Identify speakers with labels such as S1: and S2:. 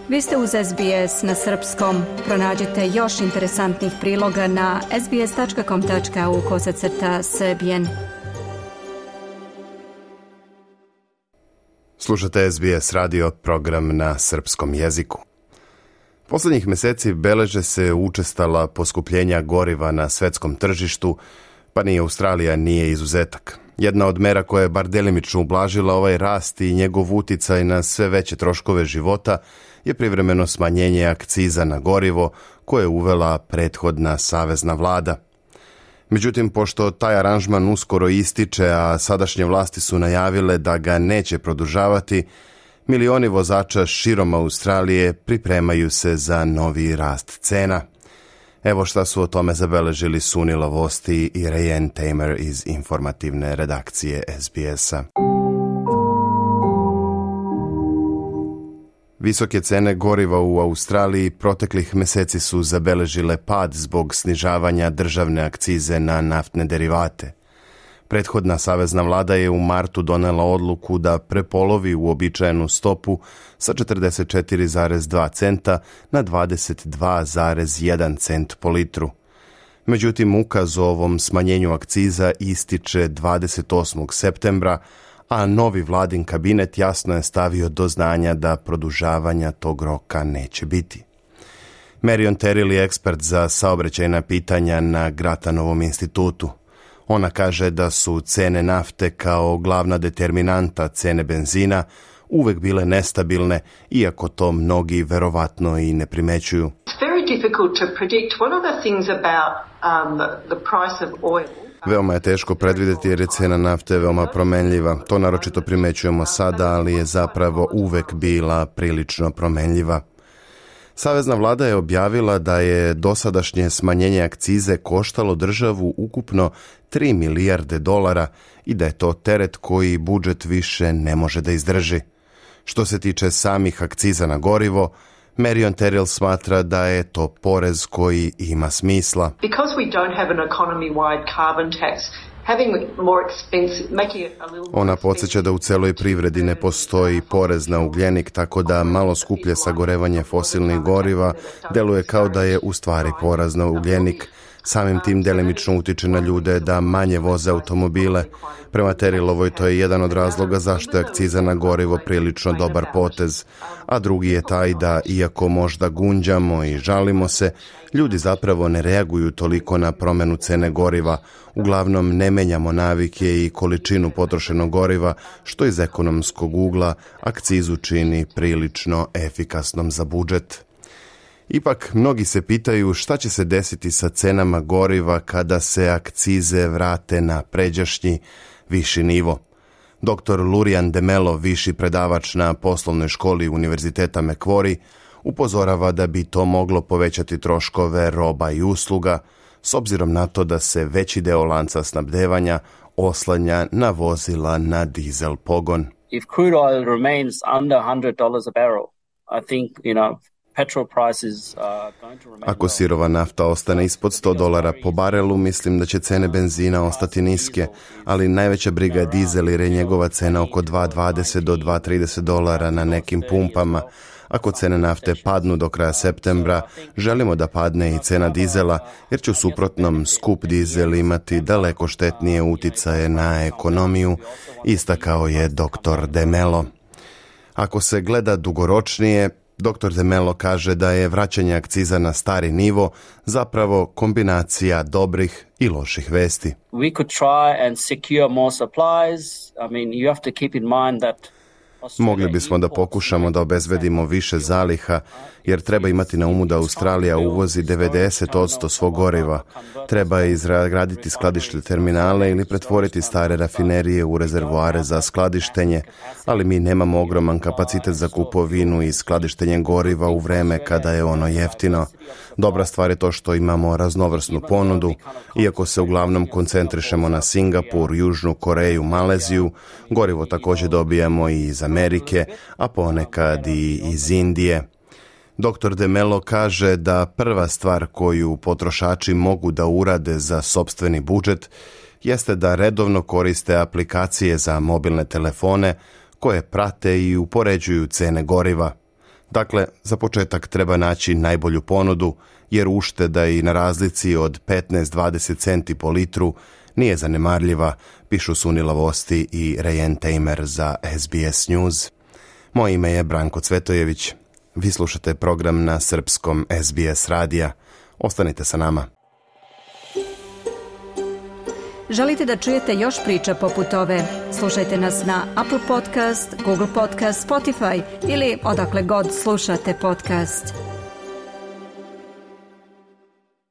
S1: Vi ste uz SBS na srpskom. Pronađite još interesantnih priloga na sbs.com.au/srbijen.
S2: Slušate SBS radio, program na srpskom jeziku. Posljednjih mjeseci beleže se učestala poskupljenja goriva na svetskom tržištu, pa ni Australija nije izuzetak. Jedna od mera koja je bar delimično ublažila ovaj rast i njegov uticaj na sve veće troškove života je privremeno smanjenje akciza na gorivo koje je uvela prethodna savezna vlada. Međutim, pošto taj aranžman uskoro ističe, a sadašnje vlasti su najavile da ga neće produžavati, milioni vozača širom Australije pripremaju se za novi rast cena. Evo šta su o tome zabeležili Sunila Vosti i Rayen Tamer iz informativne redakcije SBS-a. Visoke cene goriva u Australiji proteklih mjeseci su zabeležile pad zbog snižavanja državne akcize na naftne derivate. Prethodna savezna vlada je u martu donela odluku da prepolovi uobičajenu stopu sa 44,2 centa na 22,1 cent po litru. Međutim, ukaz o ovom smanjenju akciza ističe 28. septembra, a novi vladin kabinet jasno je stavio do znanja da produžavanja tog roka neće biti. Marion Terrill je ekspert za saobraćajna pitanja na Gratanovom institutu. Ona kaže da su cene nafte kao glavna determinanta cene benzina uvek bile nestabilne, iako to mnogi verovatno i ne primećuju. Veoma je teško predvidjeti jer je cena nafte veoma promenljiva. To naročito primećujemo sada, ali je zapravo uvek bila prilično promenljiva. Savezna vlada je objavila da je dosadašnje smanjenje akcize koštalo državu ukupno $3 milijarde i da je to teret koji budžet više ne može da izdrži. Što se tiče samih akciza na gorivo, Marion Terrill smatra da je to porez koji ima smisla. Ona podsjeća da u celoj privredi ne postoji porez na ugljenik, tako da malo skuplje sagorevanje fosilnih goriva deluje kao da je u stvari porez na ugljenik. Samim tim delimično utiče na ljude da manje voze automobile. Prema Terrillovoj to je jedan od razloga zašto je akciza na gorivo prilično dobar potez, a drugi je taj da, iako možda gunđamo i žalimo se, ljudi zapravo ne reaguju toliko na promjenu cene goriva. Uglavnom ne menjamo navike i količinu potrošenog goriva, što iz ekonomskog ugla akcizu čini prilično efikasnom za budžet. Ipak, mnogi se pitaju šta će se desiti sa cenama goriva kada se akcize vrate na pređašnji viši nivo. Dr. Lurian Demelo, viši predavač na poslovnoj školi Univerziteta Macquarie, upozorava da bi to moglo povećati troškove roba i usluga, s obzirom na to da se veći deo lanca snabdevanja oslanja na vozila na dizel pogon.
S3: If crude oil remains under $100 a barrel, I think,
S2: Ako sirova nafta ostane ispod $100 po barelu, mislim da će cene benzina ostati niske, ali najveća briga je dizel jer je njegova cena oko $2.20 do $2.30 na nekim pumpama. Ako cene nafte padnu do kraja septembra, želimo da padne i cena dizela, jer će u suprotnom skup dizel imati daleko štetnije uticaje na ekonomiju, istakao je dr. Demelo. Ako se gleda dugoročnije, dr. Demelo kaže da je vraćanje akciza na stari nivo zapravo kombinacija dobrih i loših vesti.
S3: We could try and secure more supplies. You have to keep in mind that
S2: Mogli bismo da pokušamo da obezbedimo više zaliha, jer treba imati na umu da Australija uvozi 90% svog goriva. Treba izgraditi skladišne terminale ili pretvoriti stare rafinerije u rezervoare za skladištenje, ali mi nemamo ogroman kapacitet za kupovinu i skladištenje goriva u vreme kada je ono jeftino. Dobra stvar je to što imamo raznovrsnu ponudu, iako se uglavnom koncentrišemo na Singapur, Južnu Koreju, Maleziju, gorivo također dobijamo i iz Amerike, a ponekad i iz Indije. Dr. Demelo kaže da prva stvar koju potrošači mogu da urade za sopstveni budžet jeste da redovno koriste aplikacije za mobilne telefone koje prate i upoređuju cene goriva. Dakle, za početak treba naći najbolju ponudu, jer ušteda i na razlici od 15-20 centi po litru nije zanemarljiva, pišu Sunila Vosti i Rayen Tamer za SBS News. Moje ime je Branko Cvetojević. Vi slušate program na srpskom SBS radija. Ostanite sa nama.
S1: Želite da čujete još priča poput ove? Slušajte nas na Apple Podcast, Google Podcast, Spotify ili odakle god slušate podcast.